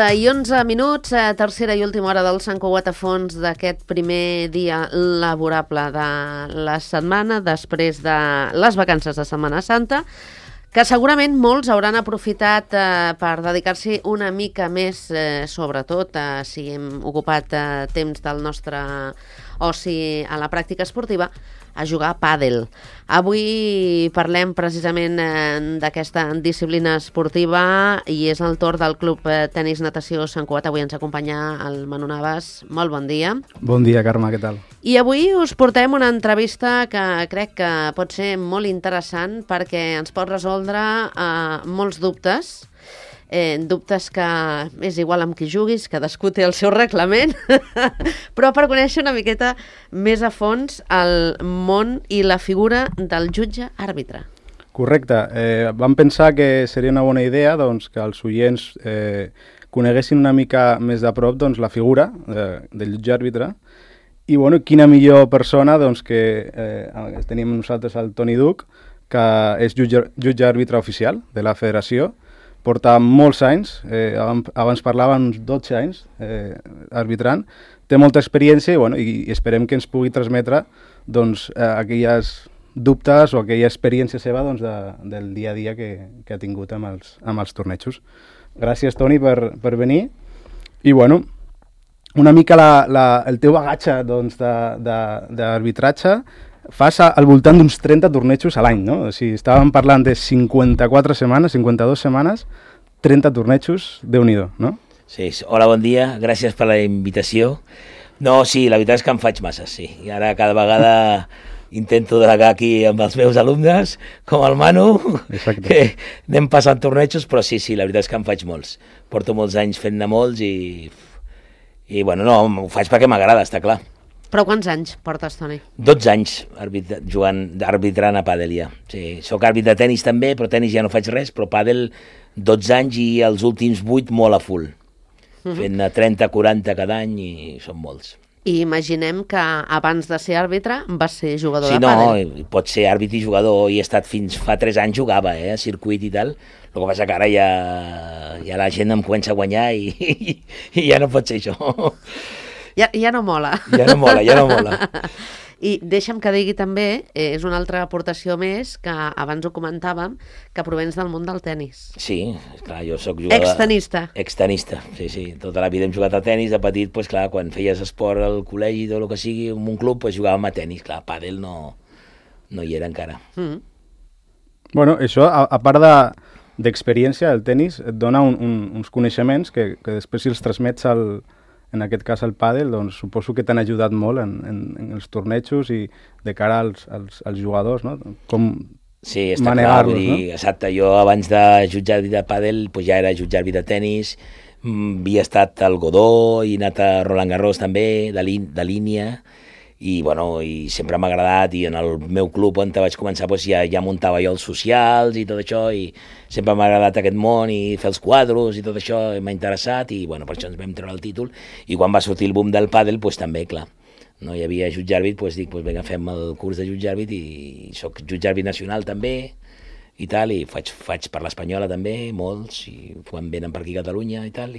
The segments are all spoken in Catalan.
I 11 minuts, tercera i última hora del Sant Cugat a fons d'aquest primer dia laborable de la setmana, després de les vacances de Setmana Santa, que segurament molts hauran aprofitat per dedicar-s'hi una mica més, sobretot si hem ocupat temps del nostre oci a la pràctica esportiva, a jugar a pàdel. Avui parlem precisament d'aquesta disciplina esportiva i és el torn del Club Tenis Natació Sant Cugat. Avui ens acompanya el Manu Navas. Molt bon dia. Bon dia, Carme, què tal? I avui us portem una entrevista que crec que pot ser molt interessant perquè ens pot resoldre molts dubtes. Dubtes que és igual amb qui juguis, cadascú té el seu reglament, però per conèixer una miqueta més a fons el món i la figura del jutge àrbitre. Correcte. Vam pensar que seria una bona idea doncs, que els oients coneguessin una mica més de prop doncs, la figura del jutge àrbitre i bueno, quina millor persona doncs, que tenim nosaltres el Toni Duc, que és jutge àrbitre oficial de la federació. Porta molts anys, abans parlava uns 12 anys arbitrant, té molta experiència i, bueno, i esperem que ens pugui transmetre doncs, aquelles dubtes o aquella experiència seva doncs, del dia a dia que ha tingut amb els tornejos. Gràcies, Toni, per venir. I, bueno, una mica el teu bagatge doncs, d'arbitratge fas al voltant d'uns 30 tornejos a l'any, no? O sigui, estàvem parlant de 54 setmanes, 52 setmanes, 30 tornejos, Déu-n'hi-do, no? Sí, hola, bon dia, gràcies per la invitació. No, sí, la veritat és que em faig massa, sí. I ara cada vegada intento delegar aquí amb els meus alumnes, com el Manu, exacte, que anem passant tornejos, però sí, la veritat és que em faig molts. Porto molts anys fent-ne molts i bueno, no, ho faig perquè m'agrada, està clar. Però quants anys portes, Toni? 12 anys arbitrant a pàdel ja. Sí, soc àrbitre de tenis també, però tenis ja no faig res, però pàdel 12 anys i els últims 8 molt a full. Fent 30-40 cada any i són molts. I imaginem que abans de ser àrbitre vas ser jugador de Sí, pàdel. no, pot ser àrbitre i jugador, i he estat fins fa 3 anys jugava, a circuit i tal. El que passa que ara ja la gent em comença a guanyar i ja no pot ser això. Ja no mola. Ja no mola. I deixa'm que digui també, és una altra aportació més, que abans ho comentàvem, que provens del món del tennis. Sí, clar, jo soc jugador... Extenista, sí. Tota la vida hem jugat a tennis, de petit, doncs clar, quan feies esport al col·legi, tot el que sigui, en un club, doncs jugàvem a tennis, clar, pàdel no hi era encara. Bueno, això, a part d'experiència, el tennis et dona uns coneixements que després si els transmets en aquest cas el pàdel, doncs suposo que t'han ajudat molt en els tornejos i de cara als jugadors, no? Com manegar-los, no? Exacte, jo abans de jutjar àrbitre de pàdel doncs ja era jutjar àrbitre de tenis, havia estat al Godó i anat a Roland Garros també, de línia, i bueno, i sempre m'ha agradat, i en el meu club on vaig començar doncs ja muntava jo els socials i tot això, i sempre m'ha agradat aquest món i fer els quadros i tot això m'ha interessat, i bueno, per això ens vam treure el títol, i quan va sortir el boom del pàdel doncs també, clar, no hi havia jutge àrbit, doncs dic, vinga, fem el curs de jutge àrbit, i soc jutge àrbit nacional també i tal, i faig per l'Espanyola també, molts, i quan venen per aquí a Catalunya i tal,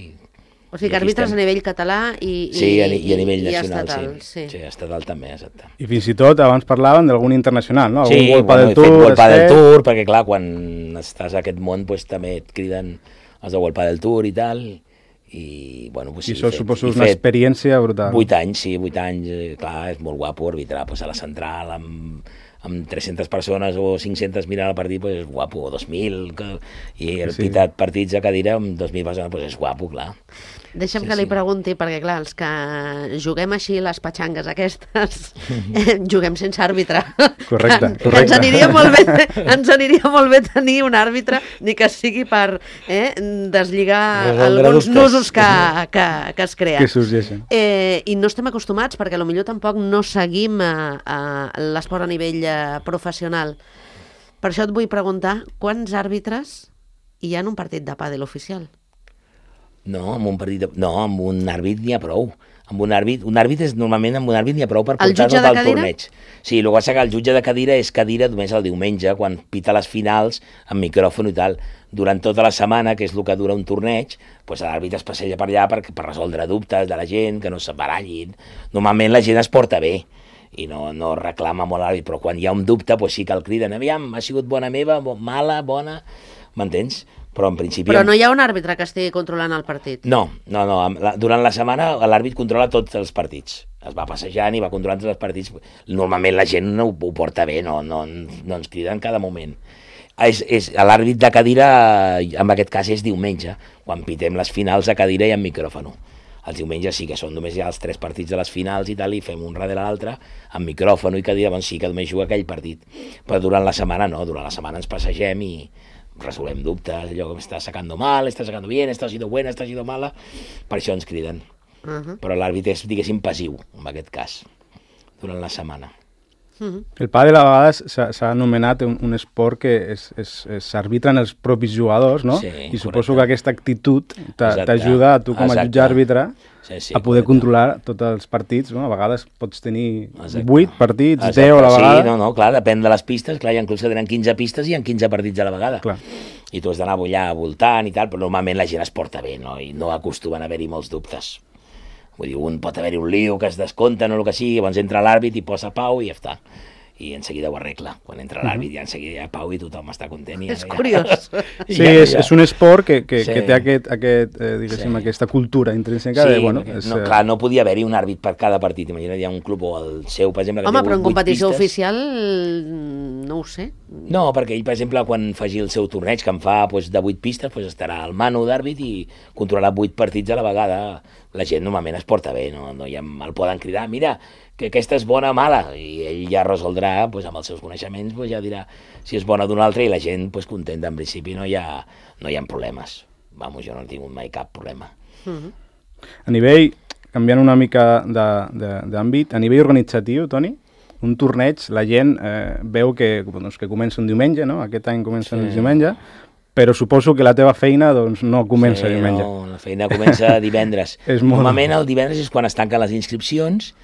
o sigui que arbitres a nivell català i a nivell nacional, estatal, sí, estatal també, exacte. I fins i tot abans parlaven d'algun internacional, no? Sí, he fet World Padel Tour, perquè clar, quan estàs a aquest món doncs, també et criden els de World Padel Tour i tal, i bueno, doncs, I això suposo una experiència brutal. 8 anys, clar, és molt guapo arbitrar a la central amb 300 persones o 500 mirant el partit, doncs és guapo, o 2.000, i he pitat partits a cadira amb 2.000 persones, doncs és guapo, clar. Deixa'm Sí, que li sí. pregunti, perquè clar, els que juguem així les patxangues aquestes, juguem sense àrbitre. Correcte, Que correcte. ens aniria molt bé tenir un àrbitre, ni que sigui per deslligar Resoldre alguns dubtes. nusos que es creen. Que sorgeixen. I no estem acostumats, perquè potser tampoc no seguim l'esport a nivell professional. Per això et vull preguntar, quants àrbitres hi ha en un partit de pàdel oficial? No, amb un àrbit n'hi ha prou. Amb un àrbit normalment amb un àrbit n'hi ha prou per El portar jutge tot de el cadira? torneig. Sí, el que passa que el jutge de cadira és cadira només el diumenge, quan pita les finals, amb micròfon i tal. Durant tota la setmana, que és el que dura un torneig, doncs l'àrbit es passeja per allà per resoldre dubtes de la gent, que no s'embarallin. Normalment la gent es porta bé i no reclama molt l'àrbit, però quan hi ha un dubte, doncs sí que el criden. Aviam, ha sigut bona meva, mala, bona... M'entens? Però en principi... Però no hi ha un àrbitre que estigui controlant el partit? No. Durant la setmana l'àrbit controla tots els partits. Es va passejant i va controlant tots els partits. Normalment la gent ho porta bé, no ens crida en cada moment. L'àrbit de cadira, en aquest cas, és diumenge, quan pitem les finals a cadira i amb micròfon. Els diumenges sí que són només ja els 3 partits de les finals i tal, i fem un darrere l'altre, amb micròfon i cadira, doncs sí que només juga aquell partit. Però durant la setmana no, durant la setmana ens passegem i resolem dubtes, allò que està sacando mal, està sacando bien, està sido buena, està sido mala, per això ens criden. Però l'àrbit és, diguéssim, passiu, en aquest cas, durant la setmana. El pàdel a vegades s'ha anomenat un esport que s'arbitren els propis jugadors, no? Sí, I suposo correcte. que aquesta actitud Exacte. t'ajuda a tu com a Exacte. jutge àrbitre Sí, a poder correcte. controlar tots els partits, no? A vegades pots tenir Exacte. 8 partits, Exacte. 10 a la vegada. Sí, no, clar, depèn de les pistes, clar, hi ha clubs que tenen 15 pistes i hi ha 15 partits a la vegada. Clar. I tu has d'anar allà voltant i tal, però normalment la gent es porta bé, no? I no acostumen a haver-hi molts dubtes. Vull dir, pot haver-hi un lío que es descompten o el que sigui, llavors entra l'àrbit i posa pau i ja està. I en seguida ho arregla. Quan entra l'àrbit ja en seguida hi ha pau i tothom està content. És curiós. Sí, és un esport que Sí. té diguéssim, aquesta cultura intrínseca de, bueno... No podia haver-hi un àrbit per cada partit. Imagina't, hi ha un club o el seu, per exemple, que Home, té però en 8 competició pistes. oficial no ho sé. No, perquè ell, per exemple, quan faci el seu torneig, que en fa de 8 pistes, estarà al mano d'àrbit i controlarà 8 partits a la vegada. La gent normalment es porta bé, no el poden cridar, mira, que aquesta és bona o mala, i ell ja resoldrà, amb els seus coneixements, ja dirà si és bona d'un altre, i la gent contenta. En principi no hi ha problemes. Vamos, jo no he tingut mai cap problema. A nivell, canviant una mica d'àmbit, a nivell organitzatiu, Toni, un torneig, la gent veu que comença un diumenge, no? Aquest any comença el diumenge, però suposo que la teva feina no comença diumenge. No, la feina comença divendres. Normalment el divendres és quan es tanquen les inscripcions,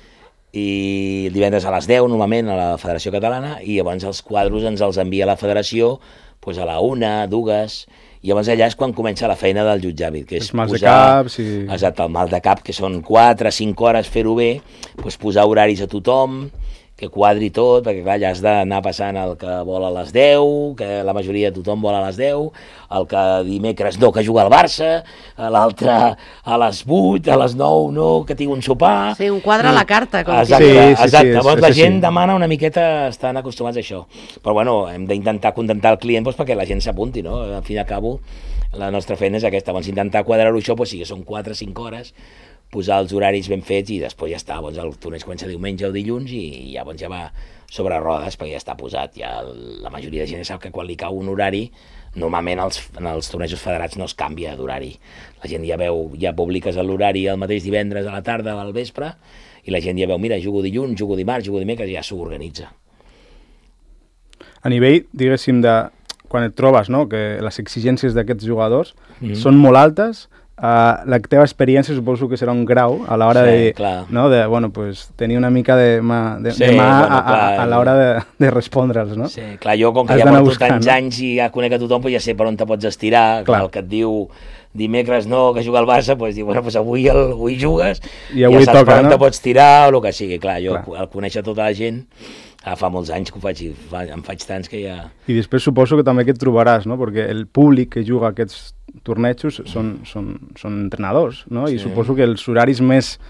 i el divendres a les 10, normalment, a la Federació Catalana, i llavors els quadros ens els envia la Federació a la 1, 2, i llavors allà és quan comença la feina del jutge àrbit, que és els mals de cap, sí. Exacte, el mal de cap, que són 4, 5 hores fer-ho bé, posar horaris a tothom, que quadri tot, perquè clar, ja has d'anar passant el que vol a les 10, que la majoria de tothom vol a les 10, el que dimecres no, que juga al Barça, l'altre a les 8, a les 9 no, que tinc un sopar... Sí, un quadre a la carta. Com exacte. Llavors la gent demana una miqueta, estan acostumats a això. Però bueno, hem d'intentar contentar el client perquè la gent s'apunti, no? Al fin i al cabo, la nostra feina és aquesta. Llavors intentar quadrar-ho això, sí que són 4 o 5 hores, posar els horaris ben fets i després ja està. Llavors el torneig comença diumenge o dilluns i llavors ja va sobre rodes perquè ja està posat. Ja la majoria de gent sap que quan li cau un horari, normalment en els tornejos federats no es canvia d'horari. La gent ja veu, ja publiques l'horari el mateix divendres a la tarda o al vespre i la gent ja veu, mira, jugo dilluns, jugo dimarts, jugo dimecres, ja s'ho organitza. A nivell, diguéssim, de quan et trobes, no?, que les exigències d'aquests jugadors són molt altes, la teva experiència suposo que serà un grau a l'hora tenir una mica de mà a l'hora de respondre'ls, no? Sí, clar, jo com que ja porto tants anys i ja conec a tothom, ja sé per on te pots estirar, el que et diu dimecres no, que juga al Barça, diu, bueno, avui jugues, i avui ja saps toca, per on te pots tirar o el que sigui, clar, jo clar. Al conèixer tota la gent, fa molts anys que ho faig, em faig tants que ja... I després suposo que també que et trobaràs, no?, perquè el públic que juga aquests tornejos són entrenadors, no?, i suposo que els horaris més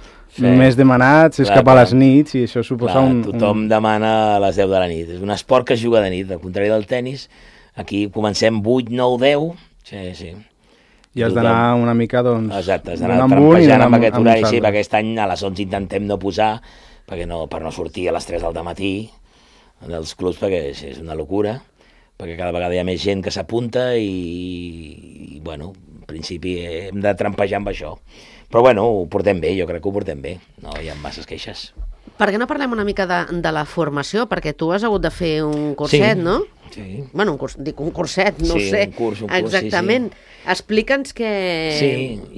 demanats és cap a les nits i això suposa tothom demana a les 10 de la nit. És un esport que es juga de nit, al contrari del tennis. Aquí comencem 8, 9, 10, sí. I has d'anar una mica, doncs, exacte, has d'anar d'un amunt i trampejant amb d'un aquest amb horari, uns sí, altres. perquè aquest any a les 11 intentem no posar, per no sortir a les 3 del matí dels clubs, perquè és una locura, perquè cada vegada hi ha més gent que s'apunta i, bueno, en principi hem de trampejar amb això. Però, bueno, ho portem bé, jo crec que ho portem bé, no hi ha masses queixes. Per què no parlem una mica de la formació? Perquè tu has hagut de fer un curset, no? Sí. Bueno, un curset, no Sí, ho sé. un curs, exactament. sí. Explica'ns que... Sí,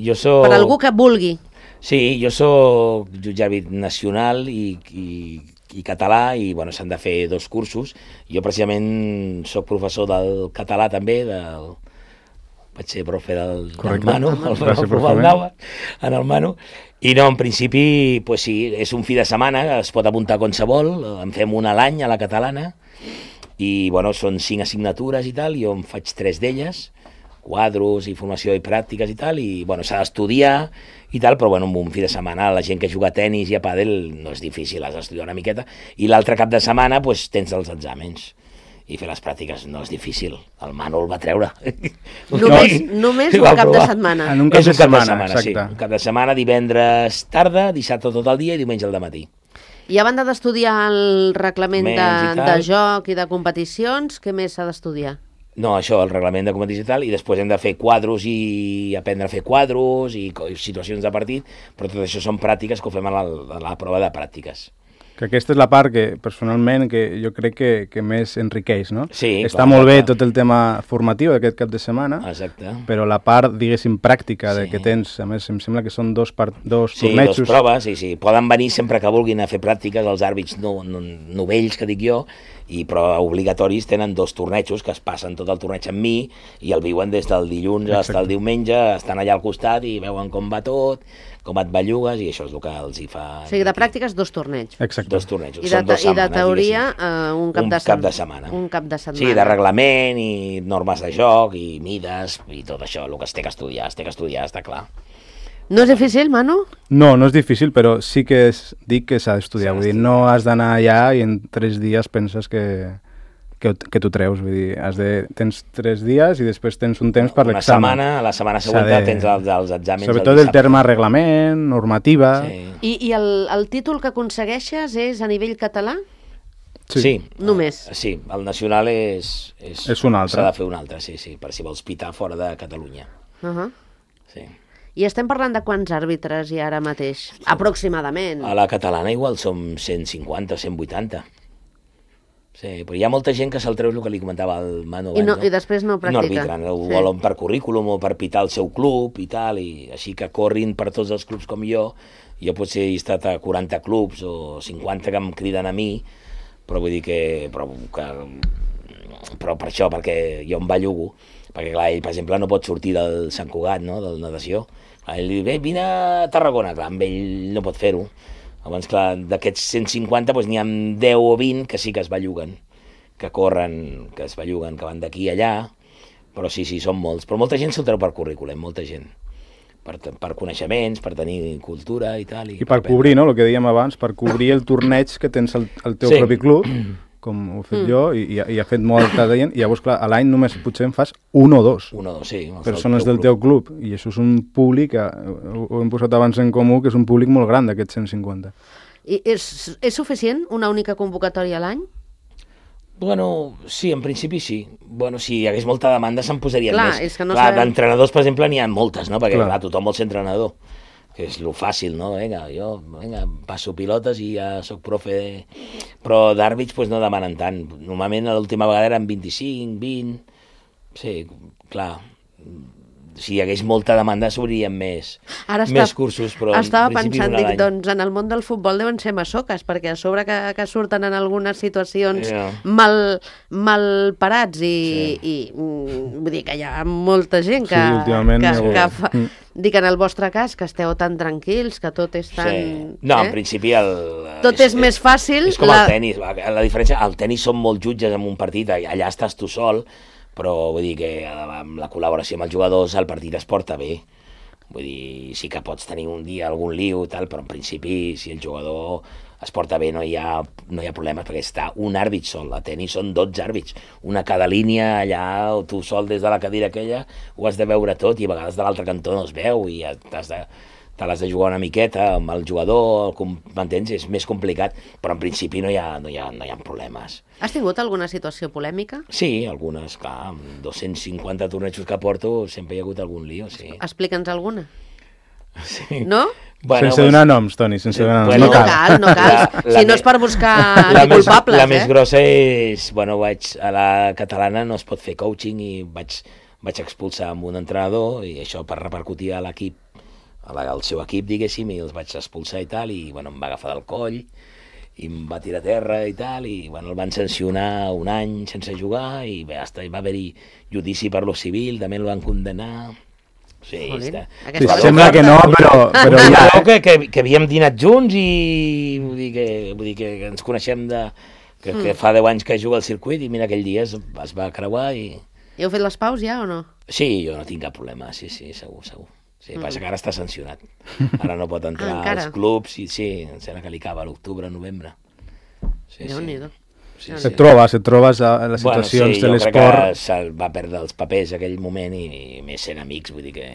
jo soc... Per algú que vulgui. Sí, jo soc jutge àrbit nacional i català i bueno, s'han de fer 2 cursos. Jo precisament soc professor del català també, vaig ser profe del Manu, en el Manu, i no, en principi, pues sí, és un fi de setmana, es pot apuntar qualsevol, en fem una a l'any a la catalana, i bueno, són 5 assignatures i tal, jo en faig 3 d'elles, quadros i formació i pràctiques i tal, i bueno, s'ha d'estudiar i tal, però bueno, en un fi de setmana la gent que juga a tenis i a pàdel no és difícil, has d'estudiar una miqueta, i l'altre cap de setmana pues, tens els exàmens i fer les pràctiques no és difícil, el Manu el va treure. Només un cap de setmana. En un cap de setmana, exacte. Sí, un cap de setmana, divendres tarda, dissabte tot el dia i diumenge al dematí. I a banda d'estudiar el reglament de joc i de competicions, què més s'ha d'estudiar? No, això, el reglament de competició i tal, i després hem de fer quadros i aprendre a fer quadros i situacions de partit, però tot això són pràctiques que ho fem a la prova de pràctiques. Que aquesta és la part que, personalment, que jo crec que més enriqueix, no? Sí, està molt bé tot el tema formatiu d'aquest cap de setmana, exacte, però la part, diguéssim, pràctica de que tens, a més, em sembla que són dos tornejos. Sí, 2 proves, sí. Poden venir sempre que vulguin a fer pràctiques, els àrbits novells, que dic jo, però obligatoris tenen 2 tornejos que es passen tot el torneig amb mi i el viuen des del dilluns fins al diumenge, estan allà al costat i veuen com va tot, com et bellugues, i això és el que els hi fa... O sigui, de pràctiques 2 torneigs. Exacte. 2 tornejos. I de teoria un cap de setmana. Un cap de setmana. Sí, de reglament i normes de joc i mides i tot això, el que es té que estudiar, està clar. No és difícil, Manu? No és difícil, però sí que dic que s'ha d'estudiar. Vull dir, no has d'anar allà i en 3 dies penses que t'ho treus, vull dir, tens 3 dies i després tens un temps per l'examen. La setmana següent tens els exàmens. Sobretot el terme reglament, normativa... Sí. I el títol que aconsegueixes és a nivell català? Sí. Només? Sí, el nacional és un altre. S'ha de fer un altre, sí, per si vols pitar fora de Catalunya. Sí. I estem parlant de quants àrbitres hi ha ara mateix? Aproximadament. A la catalana igual som 150 o 180. Sí, però hi ha molta gent que se'l treu, el que li comentava el Manu abans. I després no practica. No arbitren, ho volen per currículum o per pitar el seu club i tal, i així que corrin per tots els clubs com jo. Jo potser he estat a 40 clubs o 50 que em criden a mi, però vull dir que... Però per això, perquè jo em bellugo, perquè clar, ell, per exemple, no pot sortir del Sant Cugat, no?, del natació. Ell li diu, vine a Tarragona, clar, amb ell no pot fer-ho. Llavors, clar, d'aquests 150 doncs, n'hi ha 10 o 20 que sí que es belluguen, que corren, que es belluguen, que van d'aquí a allà, però sí, són molts. Però molta gent se'l treu per currículum, molta gent. Per coneixements, per tenir cultura i tal. I per cobrir, no?, el que dèiem abans, per cobrir el torneig que tens al teu propi club, com ho he fet jo, i ha fet molta gent, i llavors, clar, a l'any només potser en fas 1 o 2 persones del teu club, i això és un públic, ho hem posat abans en comú, que és un públic molt gran d'aquests 150. I és suficient una única convocatòria a l'any? Bueno, sí, en principi sí. Bueno, si hi hagués molta demanda se'n posarien més. És que no clar, sabem... d'entrenadors, per exemple, n'hi ha moltes, no? Perquè clar, tothom vol ser entrenador, que és lo fàcil, no? Jo passo pilotes i ja soc profe, però d'àrbits pues, no demanen tant. Normalment l'última vegada eren 25, 20... Sí, clar... Si hi hagués molta demanda s'obrien més cursos, però estava pensant, dic, doncs en el món del futbol deuen ser massoques, perquè a sobre que surten en algunes situacions mal parats i vull dir que hi ha molta gent que fa... Dic, en el vostre cas, que esteu tan tranquils, que tot és tan... No, en principi tot és més fàcil. És com el tenis, la diferència, al tenis són molts jutges en un partit, allà estàs tu sol, però vull dir que amb la col·laboració amb els jugadors el partit es porta bé. Vull dir, sí que pots tenir un dia algun lío i tal, però en principi si el jugador es porta bé, no hi ha problemes, perquè està un àrbit sol. A tenis són 12 àrbits, una a cada línia, allà, o tu sol des de la cadira aquella, ho has de veure tot, i a vegades de l'altre cantó no es veu, i te l'has de jugar una miqueta amb el jugador, m'entens? És més complicat, però en principi no hi ha problemes. Has tingut alguna situació polèmica? Sí, algunes, clar, amb 250 tornejos que porto sempre hi ha hagut algun lío, sí. Explica'ns alguna. Sí. No? Bueno, sense donar noms, Toni, sense donar noms. Bueno, no cal. Si no és per buscar culpables, La més grossa és, bueno, a la catalana no es pot fer coaching i vaig expulsar amb un entrenador, i això per repercutir a l'equip, al seu equip, diguéssim, i els vaig expulsar i tal, i bueno, em va agafar del coll, i em va tirar a terra i tal, i bueno, el van sancionar un any sense jugar, i bé, va haver-hi judici per lo civil, també el van condenar. Sí, sembla que no, però ja... Que havíem dinat junts i vull dir que ens coneixem que fa 10 anys que juga al circuit, i mira, aquell dia es va creuar i... I heu fet les paus ja o no? Sí, jo no tinc cap problema, sí, segur. Sí, passa que ara està sancionat. Ara no pot entrar als clubs, i sí, em sembla que li acaba a l'octubre, novembre. Sí. Et trobes a les situacions de l'esport... Jo crec que va perdre els papers aquell moment, i més sent amics, vull dir que...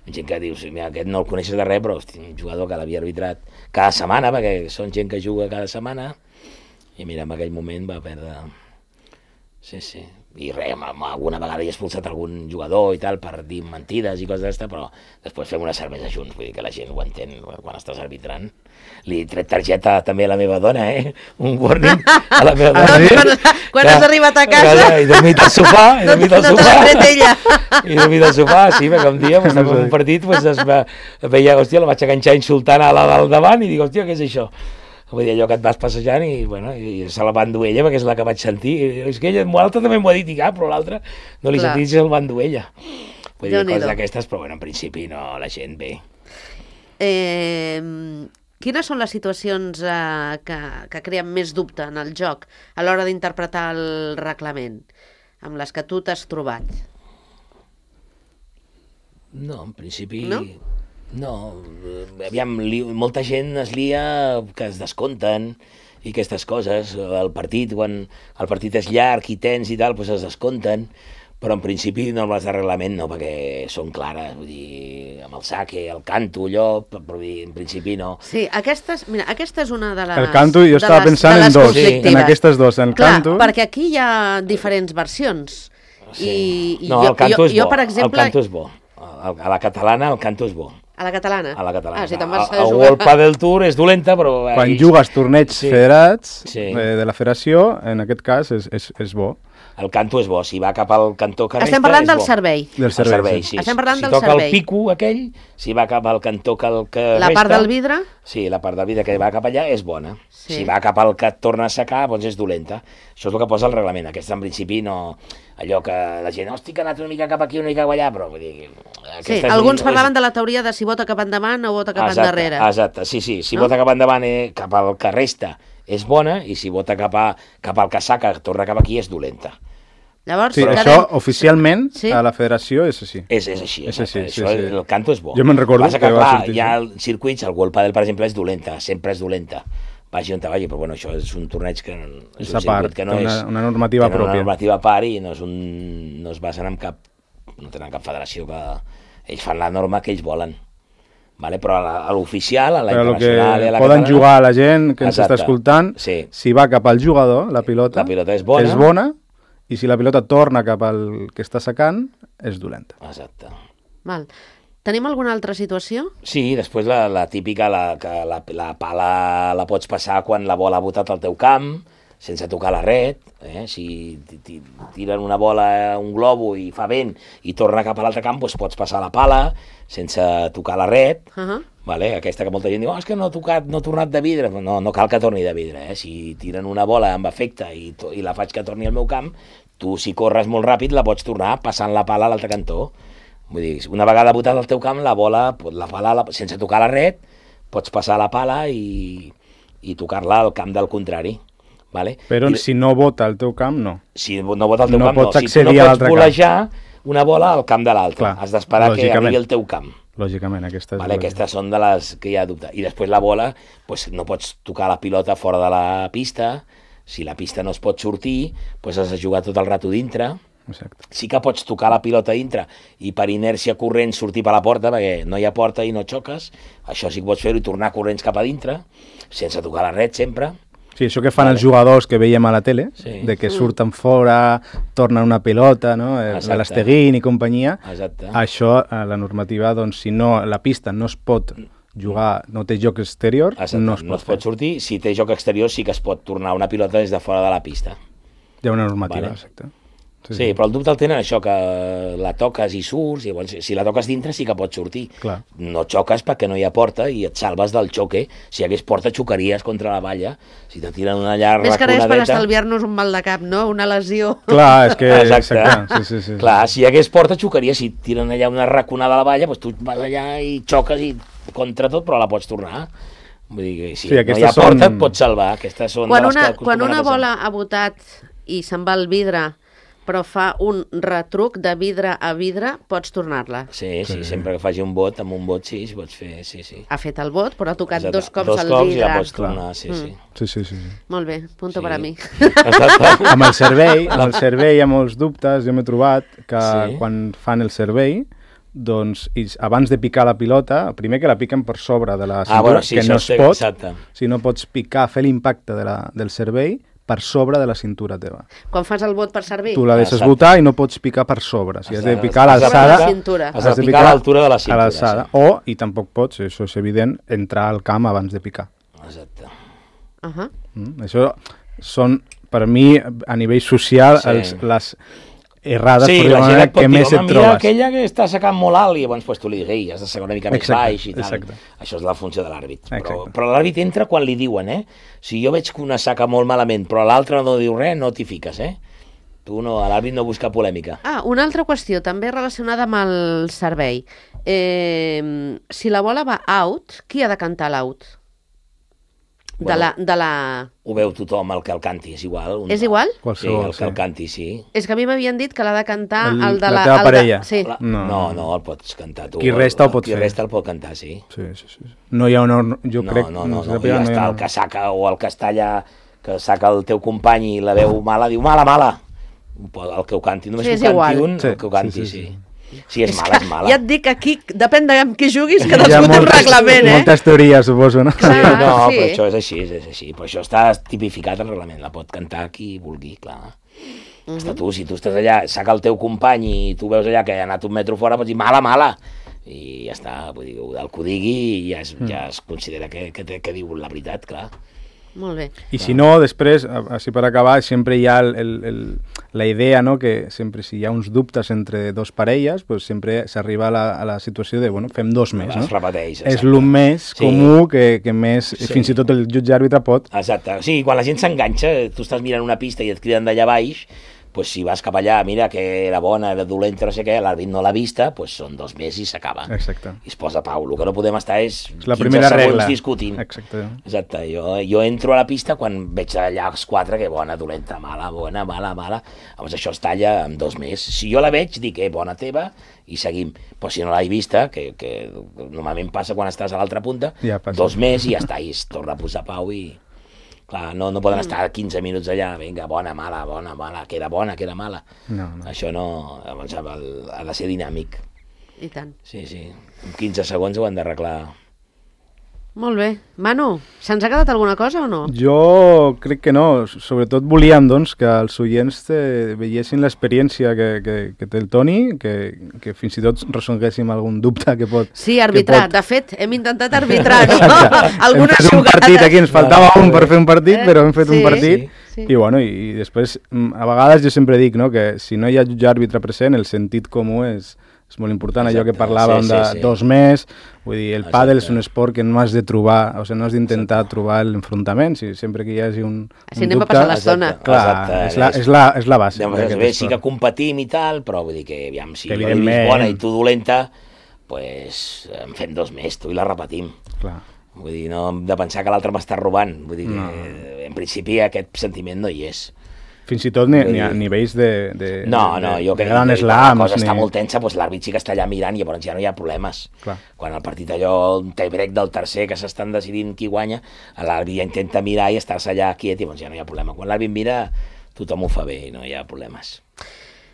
Gent que dius, mira, aquest no el coneixes de res, però hosti, un jugador que l'havia arbitrat cada setmana, perquè són gent que juga cada setmana, i mira, en aquell moment va perdre... Sí. I res, alguna vegada he expulsat algun jugador i tal per dir mentides i coses d'aquesta, però després fem una cervesa junts, vull dir que la gent ho entén quan estàs arbitrant. Li he tret targeta també a la meva dona, un warning a la meva dona. Quan has arribat a casa... He dormit al sofà, No t'has tret ella. He dormit al sofà, sí, perquè un dia, en un partit, veia, hòstia, la vaig enganxar insultant a la del davant, i dic, hòstia, què és això? Vull dir, allò que et vas passejant, i se la va endur ella, perquè és la que vaig sentir. És que ella, l'altre també m'ho ha dit, i però l'altre no li sentit, se la va endur ella. Vull dir, coses d'aquestes, però en principi no, la gent bé. Quines són les situacions que creen més dubte en el joc a l'hora d'interpretar el reglament, amb les que tu t'has trobat? No, en principi... No, aviam, molta gent es lia que es descompten i aquestes coses. El partit, quan el partit és llarg i tens i tal, doncs es descompten, però en principi normes de reglament no, perquè són clares, vull dir, amb el saque, el canto, allò, però en principi no. Sí, aquesta és una de les... El canto, jo estava pensant en dos, en aquestes dos, en clar, canto... perquè aquí hi ha diferents versions. Sí. No, el canto és bo, per exemple... el canto és bo. A la catalana el canto és bo. A la catalana? A la catalana. Si te'n vas a World Padel Tour és dolenta, però... Quan jugues torneigs federats de la federació, en aquest cas és bo. El canto és bo, si va cap al cantó que resta, estem parlant del servei. Del servei, sí. Estem parlant del servei. Si toca el pico aquell, si va cap al cantó que resta... La part del vidre? Sí, la part del vidre que va cap allà és bona. Sí. Si va cap al que et torna a secar, doncs és dolenta. Això és el que posa el reglament. Aquest, en principi, no... Allò que la gent, hosti, que ha anat una mica cap aquí, una mica cap allà, però vull dir... Sí, alguns parlaven de la teoria de si vota cap endavant o vota cap endarrere. Exacte, sí. Si vota cap endavant, cap al que resta, és bona, i si vota cap al que saca, torna cap aquí, és dolenta. Llavors, sí, això oficialment a la federació és així. És així. El canto és bo. Jo me'n recordo que va sortir. Hi ha circuits, el World Padel, per exemple, és dolenta, sempre és dolenta. Vagi on te vagi, però bueno, això és un torneig que és un circuit que no és... Una normativa pròpia. Una normativa a part, i no es basen en cap... No tenen cap federació que... Ells fan la norma que ells volen. Vale? Però a l'oficial, a la internacional i a la poden catalana... jugar a la gent que ens està escoltant, si va cap al jugador, la pilota és bona, i si la pilota torna cap al que està secant, és dolenta. Exacte. Val. Tenim alguna altra situació? Sí, després la típica, que la pala la pots passar quan la bola ha botat al teu camp, sense tocar la red. Si tiren una bola, un globo, i fa vent, i torna cap a l'altre camp, doncs pots passar la pala sense tocar la red. Vale? Aquesta que molta gent diu, és que no ha tornat de vidre. No cal que torni de vidre. Si tiren una bola amb efecte i la faig que torni al meu camp, tu, si corres molt ràpid, la pots tornar passant la pala a l'altre cantó. Vull dir, una vegada botat al teu camp, la pala, sense tocar la red, pots passar la pala i tocar-la al camp del contrari. Vale? Però si no vota al teu camp, no. Si no vota al teu camp, no. Si tu no pots volejar una bola al camp de l'altre. Has d'esperar que arribi al teu camp. Lògicament, aquesta és... Vale, aquestes són de les que hi ha dubte. I després la bola, pues, no pots tocar la pilota fora de la pista. Si la pista no es pot sortir, pues has de jugar tot el rato dintre. Exacte. Sí que pots tocar la pilota dintre i per inèrcia corrent sortir per la porta, perquè no hi ha porta i no xoques. Això sí que pots fer-ho i tornar corrents cap a dintre, sense tocar la red sempre. Sí, això que fan els jugadors que veiem a la tele, de que surten fora, tornen una pilota, no? L'Esteguín i companyia. Exacte. Això, la normativa, doncs, si no, la pista no es pot jugar, no té joc exterior, no es pot sortir. Si té joc exterior sí que es pot tornar una pilota des de fora de la pista. Hi ha una normativa, exacte. Sí, però el dubte el tenen això, que la toques i surts, i llavors, si la toques dintre sí que pots sortir. Clar. No xoques perquè no hi ha porta i et salves del xoque. Si hi hagués porta xocaries contra la valla. Si te tiren una llarga raconadeta... Més que res per estalviar-nos un mal de cap, no? Una lesió. Clar, és que... Exacte. Sí. Clar, si hi hagués porta xocaries. Si tiren allà una raconada a la valla, doncs tu vas allà i xoques i contra tot, però la pots tornar. Vull dir que si no hi ha porta et pots salvar. Aquestes són quan una bola ha botat i se'n va al vidre, però fa un retruc de vidre a vidre, pots tornar-la. Sí, sempre que faci un bot, amb un bot sí, pots fer, sí. Ha fet el bot, però ha tocat dos cops al vidre. Dos cops i la pots tornar, sí. Molt bé, punto per a mi. Amb el servei hi ha molts dubtes, jo m'he trobat que quan fan el servei, doncs abans de picar la pilota, primer que la piquen per sobre de la cintura, que no es pot, si no pots picar, fer l'impacte del servei, per sobre de la cintura teva. Quan fas el bot per servir? Tu la deixes botar i no pots picar per sobre. Si has de picar a l'alçada... Has de picar a l'altura de la cintura. I tampoc pots, això és evident, entrar al camp abans de picar. Exacte. Això són, per mi, a nivell social, les errades, la gent que més et trobes. Mira aquella que està sacant molt alt i llavors tu li digues, has de sacar una mica més baix i tal. Això és la funció de l'àrbit. Però l'àrbit entra quan li diuen, Si jo veig que una saca molt malament però l'altra no diu res, no t'hi fiques, Tu no, l'àrbit no busca polèmica. Una altra qüestió, també relacionada amb el servei. Si la bola va out, qui ha de cantar l'out? Ho veu tothom, el que el canti, és igual. És igual? Sí, el que el canti, sí. És que a mi m'havien dit que l'ha de cantar el de la teva parella. No, el pots cantar tu. Qui resta el pot fer. Qui resta el pot cantar, sí. No hi ha una... Jo crec... No, ja està el que saca o el que està allà, que saca el teu company i la veu mala, diu mala. El que ho canti, només que ho canti un, el que ho canti, sí. Si és mala, és mala. Ja et dic que aquí, depèn de amb qui juguis, cadascú té un reglament, Moltes teories, suposo, no? Però això és així. Però això està tipificat al reglament, la pot cantar qui vulgui, clar. Està tu, si tu estàs allà, saca el teu company i tu veus allà que ha anat un metro fora, pots dir mala. I ja està, vull dir, el que ho digui ja es considera que diu la veritat, clar. Molt bé. I si no, després, així per acabar, sempre hi ha la idea, no?, que sempre si hi ha uns dubtes entre dos parelles, pues sempre s'arriba a la situació de, bueno, fem dos més, no? Es repeteix. És el més comú que més, fins i tot el jutge àrbitre pot. Exacte. Sí, quan la gent s'enganxa, tu estàs mirant una pista i et criden d'allà baix, pues si vas cap allà, mira que era bona, era dolenta, no sé què, l'àrbit no l'ha vista, pues són 2 més i s'acaba. Exacte. I es posa pau. El que no podem estar és 15 segons discutint. Exacte. Jo entro a la pista quan veig allà els 4, que bona, dolenta, mala, bona, mala. Llavors això es talla amb 2 més. Si jo la veig, dic, bona teva, i seguim. Però si no l'he vista, que normalment passa quan estàs a l'altra punta, 2 més i ja està, i es torna a posar pau i... Clar, no poden estar 15 minuts allà, vinga, bona, mala, queda bona, queda mala. No. Això no, llavors ha de ser dinàmic. I tant. Sí. En 15 segons ho han d'arreglar. Molt bé. Manu, se'ns ha quedat alguna cosa o no? Jo crec que no. Sobretot volíem, doncs, que els oients veiessin l'experiència que té el Toni, que fins i tot resolguéssim algun dubte que pot... Sí, arbitrar. De fet, hem intentat arbitrar, no? Algunes jugades. Un partit aquí, ens faltava un per fer un partit, però hem fet un partit. Sí. I bueno, i després, a vegades jo sempre dic, no?, que si no hi ha jutge àrbitre present, el sentit comú és molt important. Allò que parlàvem de 2 més, vull dir, el pàdel és un esport que no has de trobar, o sigui, no has d'intentar trobar l'enfrontament, sempre que hi hagi un dubte... anem a passar l'estona. Clar, és la base. Sí que competim i tal, però vull dir que, aviam, si jo l'he vist bona i tu dolenta, doncs en fem 2 més, tu i la repetim. Clar. Vull dir, no hem de pensar que l'altre m'està robant, vull dir que en principi aquest sentiment no hi és. Fins i tot ni a nivells de No, jo crec que gran la slams. cosa està molt tensa, doncs l'àrbit sí que està allà mirant i llavors ja no hi ha problemes. Clar. Quan el partit allò, un tie-break del tercer, que s'estan decidint qui guanya, l'àrbit ja intenta mirar i estar-se allà quiet i llavors ja no hi ha problema. Quan l'àrbit mira, tothom ho fa bé i no hi ha problemes.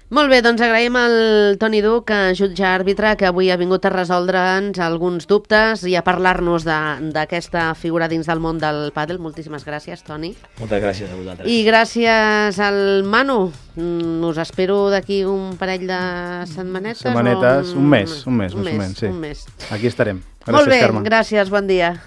Molt bé, doncs agraïm al Toni Duc, jutge àrbitre, que avui ha vingut a resoldre'ns alguns dubtes i a parlar-nos d'aquesta figura dins del món del pàdel. Moltíssimes gràcies, Toni. Moltes gràcies a vosaltres. I gràcies al Manu. Us espero d'aquí un parell de setmanetes. Un mes, sí. Un mes. Aquí estarem. Gràcies, Molt bé, Carme. gràcies, bon dia.